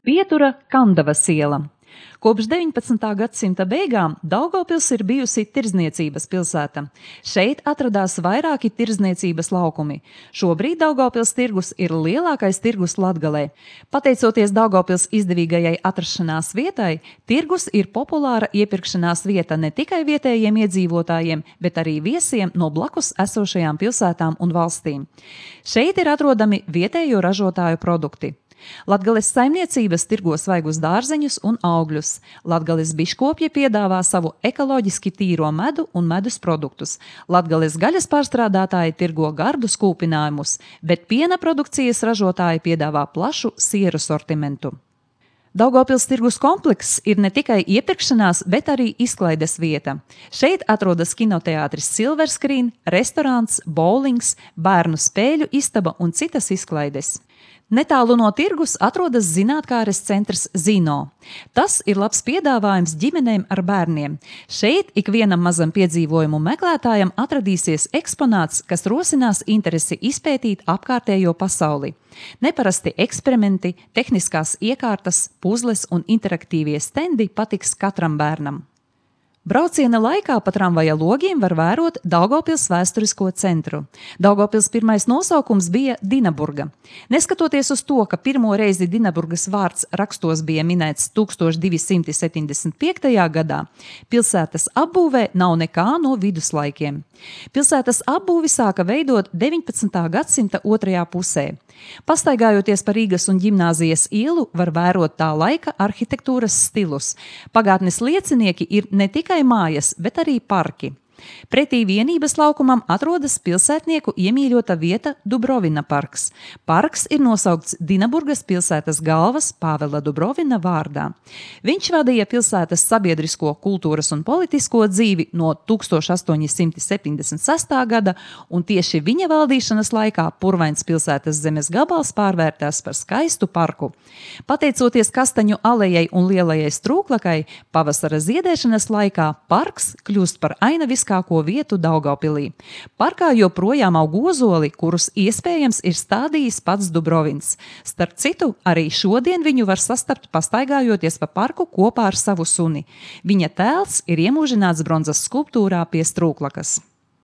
Pietura Kandavas iela. Kopš 19. gadsimta beigām Daugavpils ir bijusi tirdzniecības pilsēta. Šeit atradās vairāki tirdzniecības laukumi. Šobrīd Daugavpils tirgus ir lielākais tirgus Latgalē. Pateicoties Daugavpils izdevīgajai atrašanās vietai, tirgus ir populāra iepirkšanās vieta ne tikai vietējiem iedzīvotājiem, bet arī viesiem no blakus esošajām pilsētām un valstīm. Šeit ir atrodami vietējo ražotāju produkti. Latgales saimniecības tirgo svaigus dārzeņus un augļus. Latgales biškopji piedāvā savu ekoloģiski tīro medu un medus produktus. Latgales gaļas pārstrādātāji tirgo gardus kūpinājumus, bet piena produkcijas ražotāji piedāvā plašu sieru sortimentu. Daugavpils tirgus komplekss ir ne tikai iepirkšanās, bet arī izklaides vieta. Šeit atrodas kinoteātris Silver Screen, restorāns, bowlings, bērnu spēļu istaba un citas izklaides. Netālu no tirgus atrodas zinātkāres centrs Zino. Tas ir labs piedāvājums ģimenēm ar bērniem. Šeit ikvienam mazam piedzīvojumu meklētājam atradīsies eksponāts, kas rosinās interesi izpētīt apkārtējo pasauli. Neparasti eksperimenti, tehniskās iekārtas, puzles un interaktīvie stendi patiks katram bērnam. Brauciena laikā pa tramvaja logiem var vērot Daugavpils vēsturisko centru. Daugavpils pirmais nosaukums bija Dinaburga. Neskatoties uz to, ka pirmo reizi Dinaburgas vārds rakstos bija minēts 1275. gadā, pilsētas apbūvē nav nekā no viduslaikiem. Pilsētas apbūvi sāka veidot 19. gadsimta otrajā pusē. Pastaigājoties pa Rīgas un Ģimnāzijas ielu, var vērot tā laika arhitektūras stilus. Pagātnes liecinieki ir ne tikai mājas, bet arī parki. Pretī vienības laukumam atrodas pilsētnieku iemīļota vieta Dubrovina parks. Parks ir nosaukts Dinaburgas pilsētas galvas Pāvela Dubrovina vārdā. Viņš vadīja pilsētas sabiedrisko, kultūras un politisko dzīvi no 1876. gada, un tieši viņa valdīšanas laikā purvains pilsētas zemes gabals pārvērtās par skaistu parku. Pateicoties Kastaņu alejai un lielajai strūklakai, pavasara ziedēšanas laikā parks kļūst par ainaviskāko vietu Daugavpilī. Parkā joprojām aug ozoli, kurus iespējams ir stādījis pats Dubrovins. Starp citu, arī šodien viņu var sastapt pastaigājoties pa parku kopā ar savu suni. Viņa tēls ir iemūžināts bronzas skulptūrā pie strūklakas.